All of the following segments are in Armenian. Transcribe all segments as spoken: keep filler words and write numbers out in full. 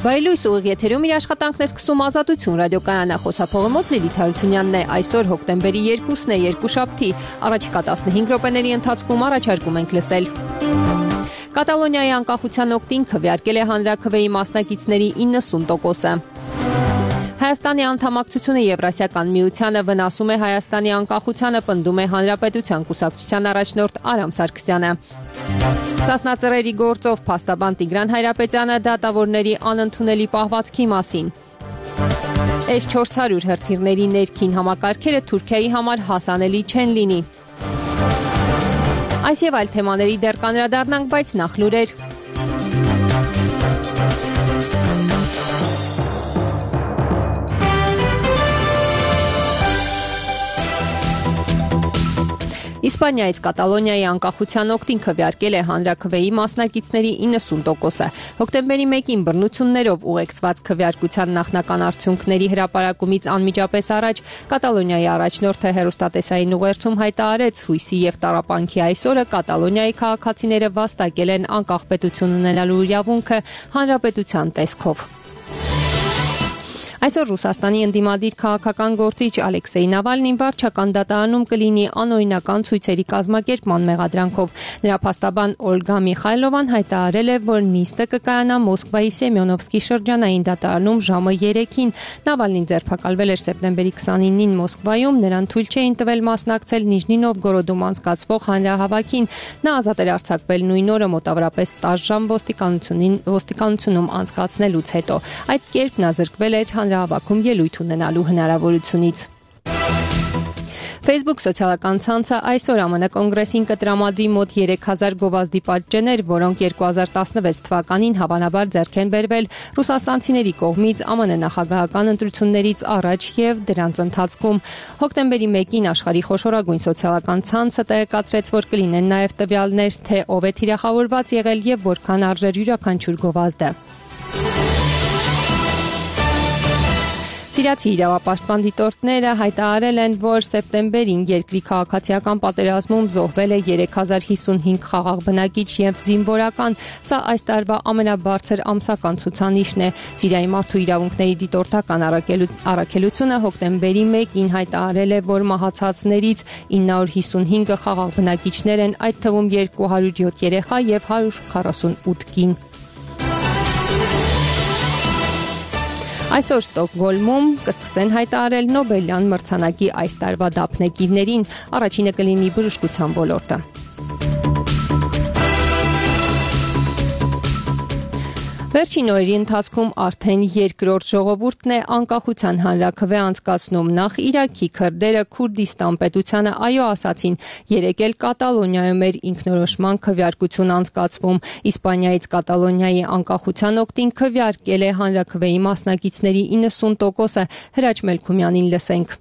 Բայլույս ուղիղ եթերում իր աշխատանքն է սկսում Ազատություն ռադիոկայանը, խոսափողի մոտ Լիլիթ Հարությունյանն է։ Այսօր հոկտեմբերի երկուսն է, երկուշաբթի, առաջիկա տասնհինգ րոպեների ընթացքում առաջարկում ենք լսել. Կատալոնիայի անկախության օգտին քվեարկել է հանրաքվեի մասնակիցների իննսուն տոկոսը։ Հայաստանի անդամակցությունը Եվրասիական միությանը վնասում է Հայաստանի անկախությանը, պնդում է Հանրապետության կուսակցության առաջնորդ Արամ Սարգսյանը։ Սասնածռերի գործով փաստաբան Տիգրան Հայրապետյանը դատավորների անընդունելի պահվածքի մասին։ էս չորս հարյուր հրթիռների ներքին համակարգերը Թուրքիայի համար հասանելի չեն լինի։ Այս եւ այլ թեմաների դեռ կանրադառնանք, բայց նախ լուրեր։ Իսպանիայից Կատալոնիայի անկախության օգտին քվեարկել է հանրաքվեի մասնակիցների իննսուն տոկոսը։ Հոկտեմբերի մեկին բռնություններով ուղեկցված քվեարկության նախնական արդյունքների հրապարակումից անմիջապես առաջ Կատալոնիայի առաջնորդը հեռուստատեսային ուղերձում հայտարարեց՝ հույսի եւ տառապանքի այսօրը Կատալոնիայի քաղաքացիները վաստակել են անկախ պետություն ունենալու իրավունքը հանրապետության տեսքով։ Այսօր Ռուսաստանի ընդդիմադիր քաղաքական գործիչ Ալեքսեյ Նավալնին վարչական դատարանում կլինի անօրինական ցույցերի կազմակերպման մեղադրանքով։ Նրա փաստաբան Օլգա Միխայլովան հայտարարել է, որ նիստը կկայանա Մոսկվայի Սեմյոնովսկի շրջանային դատարանում ժամը երեքին։ Նավալնին ձերբակալվել էր սեպտեմբերի քսանինին Մոսկվայում, նրան թույլ չէին տվել մասնակցել Նիժնի Նովգորոդում անցկացվող հանրահավաքին։ Նա ազատ էր արձակվել նույն օրը մոտավորապես տասը ժամ ոստիկանությունին ոստիկանությունում անցկացնելուց հետո։ Այդ կերպ նա զրկվել էր հավաքում ելույթ ունենալու հնարավորությունից։ Facebook սոցիալական ցանցը այսօր ԱՄՆ կոնգրեսին կտրամադրի մոտ երեք հազար գովազդի պատճեններ, որոնք երկու հազար տասնվեց թվականին հավանաբար ձեռք են բերվել ռուսաստանցիների կողմից ԱՄՆ նախագահական ընտրություններից առաջ եւ դրանց ընթացքում։ Հոկտեմբերի մեկին աշխարհի խոշորագույն սոցիալական ցանցը տեղեկացրեց, որ կլինեն նաեւ տվյալներ, թե ով է թիրախավորված եղել եւ որքան արժեր յուրաքանչյուր գովազդը։ Սիրիացի իրավապաշտպան դիտորդները հայտարարել են, որ սեպտեմբերին երկրի քաղաքացիական պատերազմում զոհվել է երեք հազար հիսունհինգ խաղաղ բնակիչ եւ զինվորական։ Սա այս տարվա ամենաբարձր ամսական ցուցանիշն է։ Սիրիայի մարդու իրավունքների դիտորդական առաքելությունը հոկտեմբերի մեկին հայտարարել է, որ մահացածներից ինը հարյուր հիսունհինգը խաղաղ բնակիչներ են, այդ թվում երկու հարյուր յոթ երեխա եւ հարյուր քառասունութ կին։ Այսօր Ստոկհոլմում կսկսեն հայտարարել Նոբելյան մրցանակի այս տարվա դափնեկիրներին, առաջինը կլինի բժշկության ոլորտը։ Վերջին օրերի ընթացքում արդեն երկրորդ ժողովուրդն է անկախության հանրաքվե անցկացնում։ Նախ Իրաքի քրդերը Քուրդիստան պետությանը այո ասացին, երեկ էլ Կատալոնիայում էր ինքնորոշման քվեարկություն անցկացվում։ Իսպանիայից Կատալոնիայի անկախության օգտին քվեարկել է հանրաքվեի մասնակիցների իննսուն տոկոսը։ Հրաչ Մելքումյանին լսենք։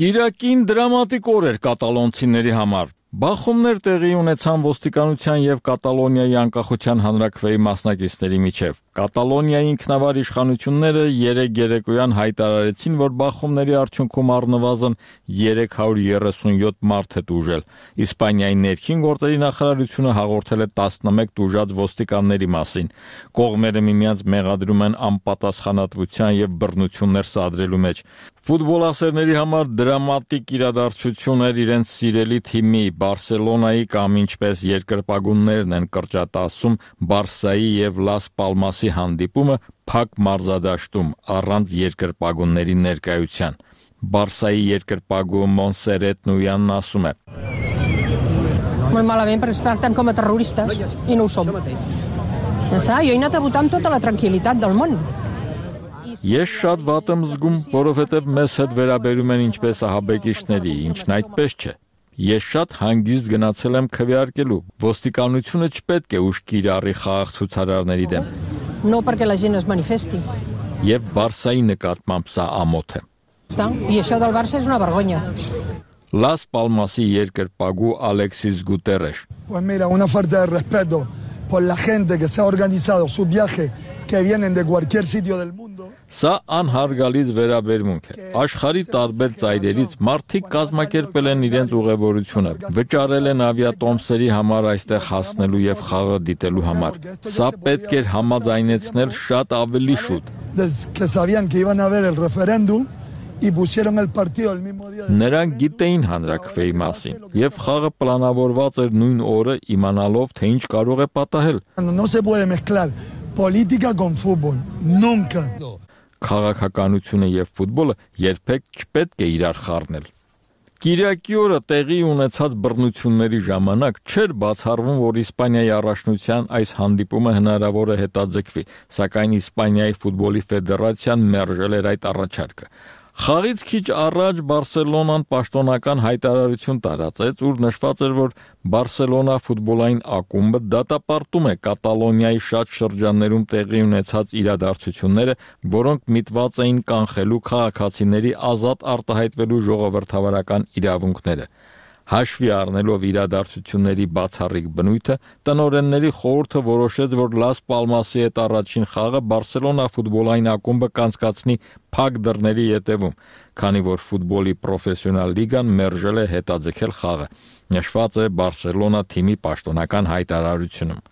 Կիրակին դրամատիկ օր էր կատալոնցիների համար։ Բախումներ տեղի ունեցան ոստիկանության եւ Կատալոնիայի անկախության հանրաքվեի մասնակիցների միջև։ Կատալոնիայի ինքնավար իշխանությունները երեկ երեկոյան հայտարարեցին, որ բախումների արդյունքում առնվազն երեք հարյուր երեսունյոթ մարդ է տուժել։ Իսպանիայի ներքին գործերի նախարարությունը հաղորդել է տասնմեկ տուժած ոստիկանների մասին։ Կողմերը միմյանց մեղադրում են անպատասխանատվության եւ բռնություններ սադրելու մեջ։ Ֆուտբոլասերների համար դրամատիկ իրադարձություն էր իրենց սիրելի թիմի Բարսելոնայի կամ ինչպես երկրպագուններն են կրճատասում Բարսայի եւ Լաս Պալմասի հանդիպումը փակ մարզադաշտում առանց երկրպագունների ներկայության։ Բարսայի երկրպագու Մոնսերետ Նույանն ասում է. Muy malament perquè es tracten com a terroristes i no ho som. Ja està, jo he anat a votar amb tota la tranquil·litat del món. Ես շատ վատ եմ զգում, որովհետև մեզ հետ վերաբերում են ինչպես ահաբեկիչների, ինչն այդպես չէ։ Ես շատ հանգիստ գնացել եմ քվեարկելու։ Ոստիկանությունը չպետք է ուշքի իրարի խաղաղ ցուցարարների դեմ։ No perquè la gent es manifesti. Եվ Բարսայի նկատմամբ սա ամոթ է։ I això del Barça és una vergonya. Las Palmasի երկրպագու Ալեքսիս Գուտերեշ. Pues mira, una falta de respeto por la gente que se ha organizado su viaje que vienen de cualquier sitio del mundo. Սա անհարգալից վերաբերմունք է։ Աշխարհի տարբեր ծայրերից մարդիկ կազմակերպել են իրենց ուղևորությունը, վճարել են ավիատոմսերի համար այստեղ հասնելու եւ խաղը դիտելու համար։ Սա պետք էր համաձայնեցնել շատ ավելի շուտ։ Que sabían que iban a haber el referéndum y pusieron el partido el mismo día. Նրանք գիտեին հանրաքվեի մասին եւ խաղը պլանավորված էր նույն օրը իմանալով թե ինչ կարող է պատահել։ No se puede mezclar política con fútbol, nunca. Քաղաքականությունը եւ ֆուտբոլը երբեք չպետք է իրար խառնել։ Կիրակի օրը տեղի ունեցած բռնությունների ժամանակ չէր բացառվում, որ Իսպանիայի առաջնության այս հանդիպումը հնարավոր է հետաձգվի, սակայն Իսպանիայի ֆուտբոլի ֆեդերացիան մերժել էր այդ առաջարկը։ Խաղից քիչ առաջ Բարսելոնան պաշտոնական հայտարարություն տարածեց, ուր նշված էր, որ Բարսելոնա ֆուտբոլային ակումբը դատապարտում է Կատալոնիայի շատ շրջաններում տեղի ունեցած իրադարձությունները, որոնք միտված էին կանխելու քաղաքացիների ազատ արտահայտվելու ժողովրդավարական իրավունքները։ Հաշվի առնելով իրադարձությունների բացառիկ բնույթը, տնօրենների խորհուրդը որոշեց, որ Լաս Պալմասի հետ առաջին խաղը Բարսելոնա ֆուտբոլային ակումբը կանցկացնի փակ դռների ետևում, քանի որ ֆուտբոլի պրոֆեսիոնալ լիգան մերժել է հետաձգել խաղը, նշված է Բարսելոնա թիմի պաշտոնական հայտարարությունում։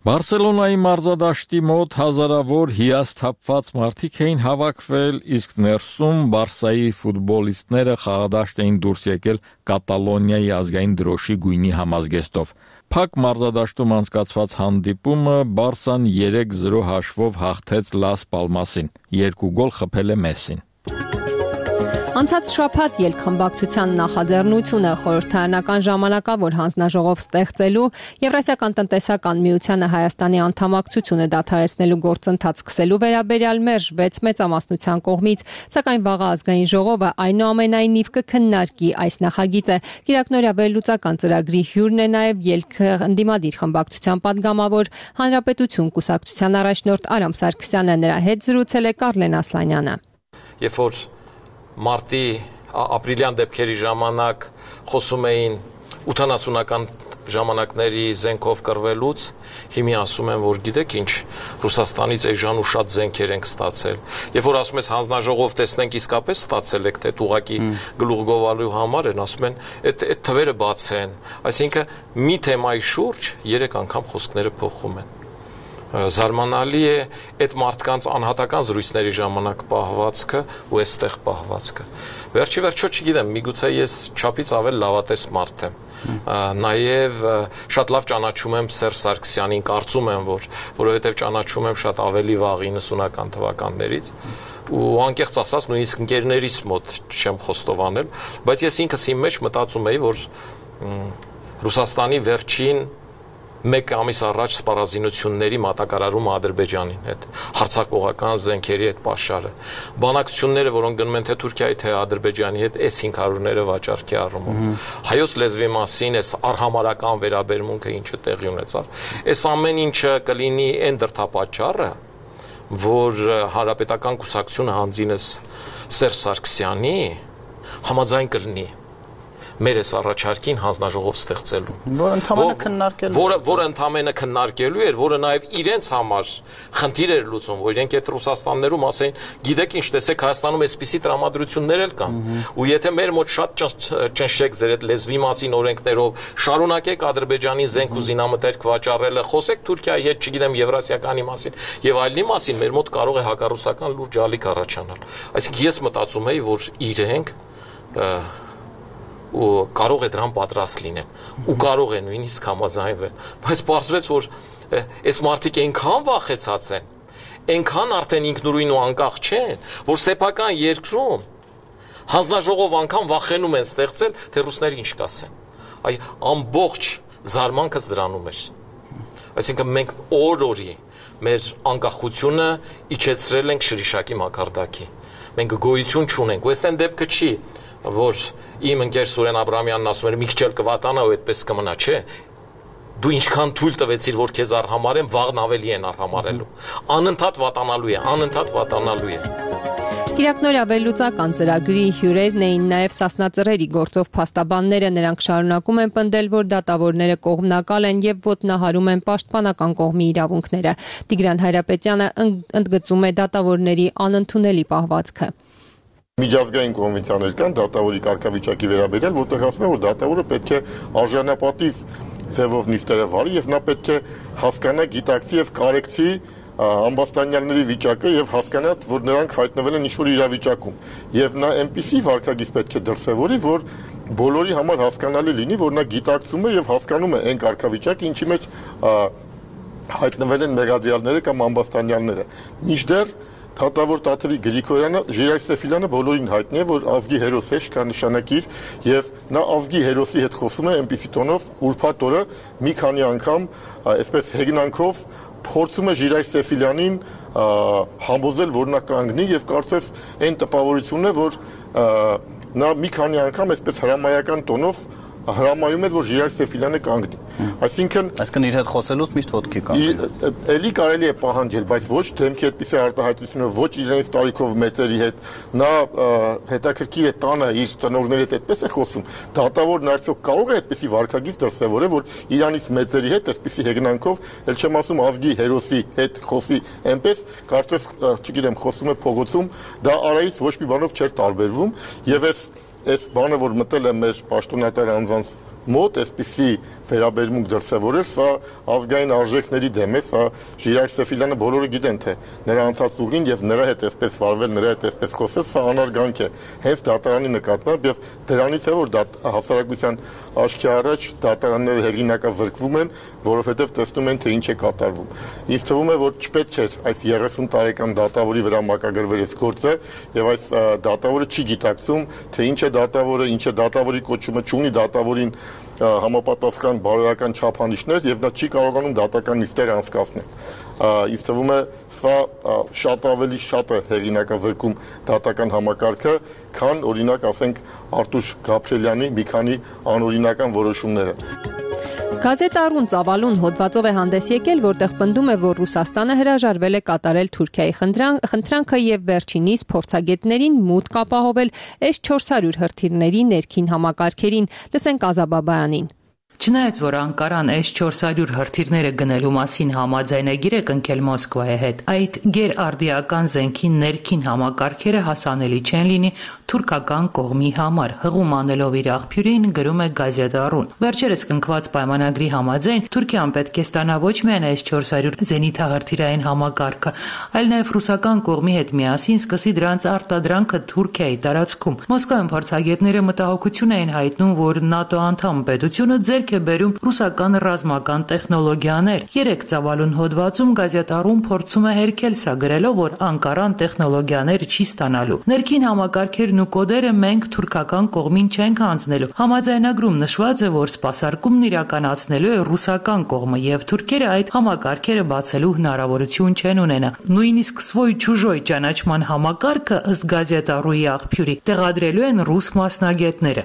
Բարսելոնայի մարզադաշտի մոտ հազարավոր հիասթափված մարդիկ էին հավաքվել, իսկ ներսում Բարսայի ֆուտբոլիստները խաղադաշտ էին դուրս եկել Կատալոնիայի ազգային դրոշի գույնի համազգեստով։ Փակ մարզադաշտում անցկացված հանդիպումը Բարսան երեք զրո հաշվով հաղթեց Լաս Պալմասին, երկու գոլ խփել է Մեսսին։ Անցած շաբաթ ելքխմբակցության նախաձեռնությունը խորհրդարանական ժամանակավոր հանձնաժողով ստեղծելու Եվրասիական տնտեսական միությանը Հայաստանի անդամակցությունը դադարեցնելու գործընթաց սկսելու վերաբերյալ մերժվեց մեծամասնության կողմից, սակայն վաղ ազգային ժողովը այնուամենայնիվ կքննարկի այս նախագիծը։ Կիրակնօրյա վերլուծական ծրագրի հյուրն է նաև ելքը ընդդիմադիր խմբակցության падգամավոր Հանրապետություն կուսակցության առաջնորդ Արամ Սարգսյանը, նրա հետ զրուցել է Կարլեն Ասլանյանը։ Երբ որ մարտի ապրիլյան դեպքերի ժամանակ խոսում էին ութանասունական ժամանակների զենքով կռվելուց, հիմա ասում են, որ գիտեք ինչ, Ռուսաստանից էժան ու շատ զենքեր ենք ստացել։ Երբ որ ասում ես հանձնաժողով տեսնենք իսկապես ստացել եք, թե ուղղակի գլուխ գովալու համար են, ասում են, այդ այդ թվերը բացեն։ Այսինքն մի թեմայի շուրջ երեք անգամ խոսքները փոխում են։ Զարմանալի է այդ մարդկանց անհատական զրույցների ժամանակ պահվածքը ու այստեղ պահվածքը։ Վերջի վերջո չգիտեմ, միգուցե ես չափից ավել լավատես մարդ եմ։ Նաև շատ լավ ճանաչում եմ Սերժ Սարգսյանին, կարծում եմ, որ որովհետև ճանաչում եմ շատ ավելի վաղ իննսունական թվականներից ու անկեղծ ասած նույնիսկ ընկերներիս մոտ չեմ խոստովանել, բայց ես ինքս իմ մեջ մտածում էի, որ Ռուսաստանի վերջին մեկ ամիս առաջ սպառազինությունների մատակարարումը Ադրբեջանին հետ, հարձակողական զենքերի հետ պաշարը, բանակցությունները, որոնք գնում են թե Թուրքիայի, թե Ադրբեջանի հետ, էս հինգ հարյուրները վաճառքի առումով, հայոց լեզվի մասին, էս արհամարական վերաբերմունքը ինչը տեղի ունեցավ, էս ամեն ինչը կլինի այն դրդապատճառը, որ Հանրապետական կուսակցությունը հանդինես Սերժ Սարգսյանի համաձայն կլինի մեր այս առաջարկին հանձնաժողով ստեղծելու, որը ընդհանրապես քննարկելու, որը որը ընդհանրապես քննարկելու էր, որը նաև իրենց համար խնդիր էր լուծում, որ իրենք այդ Ռուսաստաններում ասեն, գիտեք ինչ, տեսեք Հայաստանում այսպիսի տրամադրություններ էլ կան, ու եթե մեր մոտ շատ ճնշեք ձեր այդ լեզվի մասին օրենքներով, շարունակեք Ադրբեջանի զենք ու զինամթերք վաճառելը, խոսեք Թուրքիայի հետ, չգիտեմ, Եվրասիականի մասին եւ այլնի մասին, մեր մոտ կարող է հակառուսական լուրջ ալիք առաջանալ։ Այսինքն ես մտածում եի, որ իրենք ու կարող է դրան պատրաստ լինեն ու կարող է նույնիսկ համաձայնվել, բայց պարզվեց, որ այս մարդիկ այնքան վախեցած են, այնքան արդեն ինքնուրույն ու անկախ չեն, որ սեփական երկրում հանձնաժողով անգամ վախենում են ստեղծել, թե ռուսները ինչ կասեն։ Այ ամբողջ զարմանքս դրանում էր։ Այսինքն մենք օր-օրի մեր անկախությունը իջեցրել ենք շրիշակի մակարդակի։ Մենք գոյություն չունենք, ու այս այն դեպքը չի, որ իմ ընկեր Սուրեն Աբրամյանն ասում էր մի քիչ էլ կվատանա ու այդպես կմնա, չէ։ Դու ինչքան թույլ տվեցիր, որ քեզ արհամարեն, վաղն ավելի են արհամարելու։ Անընդհատ վատանալու է, անընդհատ վատանալու է։ Կիրակնօրյա վերլուծական ծրագրի հյուրերն էին նաև Սասնածռերի գործով փաստաբանները, նրանք շարունակում են պնդել, որ դատավորները կողմնակալ են եւ ոտնահարում են պաշտպանական կողմի իրավունքները։ Տիգրան Հայրապետյանը ընդգծում է դատավորների անընդունելի պահվածքը։ Միջազգային կոնվենցիաներ կան դատավորի կարգավիճակի վերաբերյալ, որտեղ ասում են, որ դատավորը պետք է արժանապատիվ ձևով նիստերը վարի եւ նա պետք է հասկանա, գիտակցի եւ կարեկցի ամբաստանյալների վիճակը եւ հասկանա, որ նրանք հայտնվել են ինչ-որ իրավիճակում եւ նա այնպիսի վարքագիծ պետք է դրսեւորի, որ բոլորի համար հասկանալի լինի, որ նա գիտակցում է եւ հասկանում է այն կարգավիճակը, ինչի մեջ հայտնվել են մեղադրյալները կամ ամբաստանյալները։ Մինչդեռ Դատավոր Տաթևի Գրիգորյանը, Ժիրայր Սեֆիլյանը բոլորին հայտնի է, որ ազգի հերոս է, շքա նշանակիր եւ նա ազգի հերոսի հետ խոսում է այնպիսի տոնով ուրբաթ օրը մի քանի անգամ այսպես հեգնանքով փորձում է Ժիրայր Սեֆիլյանին համոզել, որ նա կանգնի եւ կարծես այն տպավորությունն է, որ նա մի քանի անգամ այսպես հրամայական տոնով հրամայում էր, որ Ժիրայր Սեֆիլյանը կանգնի։ Այսինքն, այսինքն իր հետ խոսելուց միշտ ոտքի կանգնի։ Էլի կարելի է պահանջել, բայց ոչ դեմքի այդպիսի արտահայտությունով, ոչ իրենց տարիքով մեծերի հետ, նա հետաքրքիր է տանը իր ծնողների հետ այդպես է խոսում։ Դատավորն արդյոք կարող է այդպիսի վարքագիծ դրսևորել, որ իրանից մեծերի հետ այսպիսի հեգնանքով, ել չեմ ասում ազգի հերոսի հետ խոսի, այնպես կարծես, չգիտեմ, խոսում է փողոցում, դա արայից ոչ մի բանով չէր տարբերվում, եւ այս Այս բանը, որ մտել է մեր պաշտոնատար անձանց մոտ, այսպիսի վերաբերմունք դրսևորել, սա ազգային արժեքների դեմ է, սա Ժիրայր Սեֆիլյանը բոլորը գիտեն, թե նրա անցած ուղին եւ նրա հետ այսպես վարվել, նրա հետ այսպես խոսել, սա անարգանք է հենց դատարանի նկատմամբ եւ դրանից է, որ հասարակության աչքի առաջ դատարանները հեղինակազրկվում են, որովհետեւ տեսնում են, թե ինչ է կատարվում։ Ինձ թվում է, որ չպետք է այս երեսուն տարեկան դատավորի վրա մակագրվել այս գործը եւ այս դատավորը չի գիտակցում, թե ինչ է դատավորը, ինչ է դատավորի կոչումը, չունի դատավորին համապատասխան բարոյական չափանիշներ եւ նա չի կարողանում դատական նիստեր անցկացնել։ Ինձ թվում է, սա շատ ավելի շատ է հեղինակազրկում դատական համակարգը, քան օրինակ ասենք Արտուշ Գաբրելյանի մի քանի անօրինական որոշումները։ Գազետ Առուն ծավալուն հոդվածով է հանդես եկել, որտեղ պնդում է, որ Ռուսաստանը հրաժարվել է կատարել Թուրքիայի խնդրանքը եւ վերջինիս փորձագետներին մուտք ապահովել էս չորս հարյուր հրթիռների ներքին համակարգերին։ Լսենք Ազաբաբայանին։ Չնայած որ Անկարան էս չորս հարյուր հրթիռները գնելու մասին համաձայնագիր է կնքել Մոսկվայի հետ, այդ գերարդիական զենքի ներքին համակարգերը հասանելի չեն լինի թուրքական կողմի համար, հղում անելով իր աղբյուրին գրում է Գազետ Առուն։ Վերջերս կնքված պայմանագրի համաձայն Թուրքիան պետք է ստանա ոչ միայն էս չորս հարյուր զենիթահրթիռային համակարգը, այլ նաև ռուսական կողմի հետ միասին սկսի դրանց արտադրանքը Թուրքիայի տարածքում։ Մոսկվայում փորձագետները մտահոգություն էին հայտնում, որ ՆԱՏՕ անդամ պետությունը ձեռք է բերում ռուսական ռազմական տեխնոլոգիաներ։ Երեք ծավալուն հոդվածում Գազետ Առուն փորձում է հերքել սա գրելով, որ Անկարան տեխնոլոգիաներ չի ստանալու։ Ներքին համակարգերն ու կոդերը մենք թուրքական կողմին չենք հանձնելու։ Համաձայնագրում նշված է, որ սպասարկումն իրականացնելու է ռուսական կողմը եւ թուրքերը այդ համակարգերը բացելու հնարավորություն չեն ունենա։ Նույնիսկ «Svoi-Чужой» ճանաչման համակարգը ըստ Գազետ Առուի աղբյուրի տեղադրելու են ռուս մասնագետները։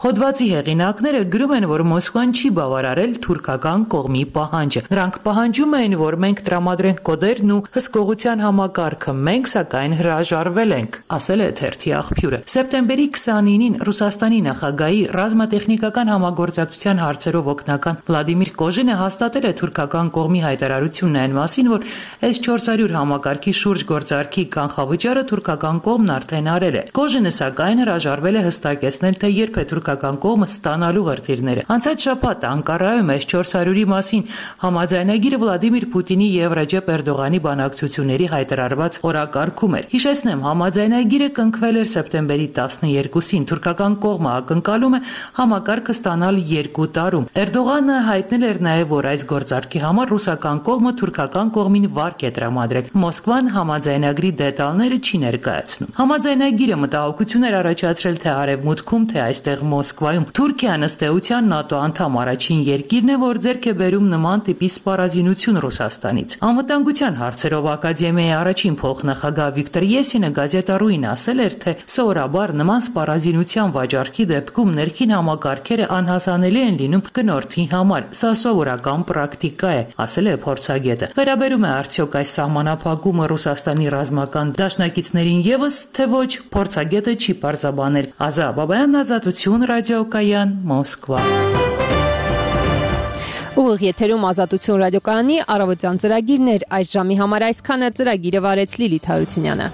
Հոդվածի հեղինակները գրում են, որ Մոսկվան չի բավարարել թուրքական կողմի պահանջը։ Նրանք պահանջում էին, որ մենք տրամադրենք կոդերն ու հսկողության համակարգը, մենք սակայն հրաժարվել ենք, ասել է թերթի աղբյուրը։ Սեպտեմբերի քսանինին Ռուսաստանի նախագահի ռազմատեխնիկական համագործակցության հարցերով օգնական Վլադիմիր Կոժինը հաստատել է թուրքական կողմի հայտարարությունն այն մասին, որ էս չորս հարյուր համակարգի շուրջ գործարքի կանխավճարը թուրքական կողմն արդեն արել է։ Կոժինը սակայն հրաժարվել է հստակեցնել, թե երբ է թուրքական կողմը ստանալու հրթիռները։ Անցած շաբաթ Անկարայում էս չորս հարյուրի մասին համաձայնագիրը Վլադիմիր Պուտինի եւ Ռեջեփ Էրդողանի բանակցությունների հայտարարված օրակարգում էր։ Հիշեցնեմ, համաձայնագիրը կնքվել էր սեպտեմբերի տասներկուսին։ Թուրքական կողմը ակնկալում է համակարգը ստանալ երկու տարում։ Էրդողանը հայտնել էր նաեւ, որ այս գործարքի համար ռուսական կողմը թուրքական կողմին վարկ է տրամադրել։ Մոսկվան համաձայնագրի դետալները չի ներկայացնում։ Համաձայնագիրը մտահոգություն էր առաջացրել թե արևմուտքում, թե այստեղ Մոսկվայում։ Թուրքիան ըստ էության ՆԱՏՕ անդամ անգամ առաջին երկիրն է, որ ձեռք է բերում նման տիպի սպառազինություն Ռուսաստանից։ Անվտանգության հարցերով ակադեմիայի առաջին փոխնախագահ Վիկտոր Եսինը գազետառուին ասել էր, թե սովորաբար նման սպառազինության վաճառքի դեպքում ներքին համակարգերը անհասանելի են լինում գնորդի համար։ Սա սովորական պրակտիկա է, ասել է փորձագետը։ Վերաբերում է արդյոք այս սահմանափակումը Ռուսաստանի ռազմական դաշնակիցներին եւս, թե ոչ, փորձագետը չի պարզաբանել։ Ազա Բաբայան, Ազատություն, ռադիոկայան, Մոսկվա։ Ուղիղ եթերում Ազատություն ռադիոկայանի առավոտյան ծրագիրներ այս ժամի համար այսքանը, ծրագիրը վարեց Լիլիթ Հարությունյանը։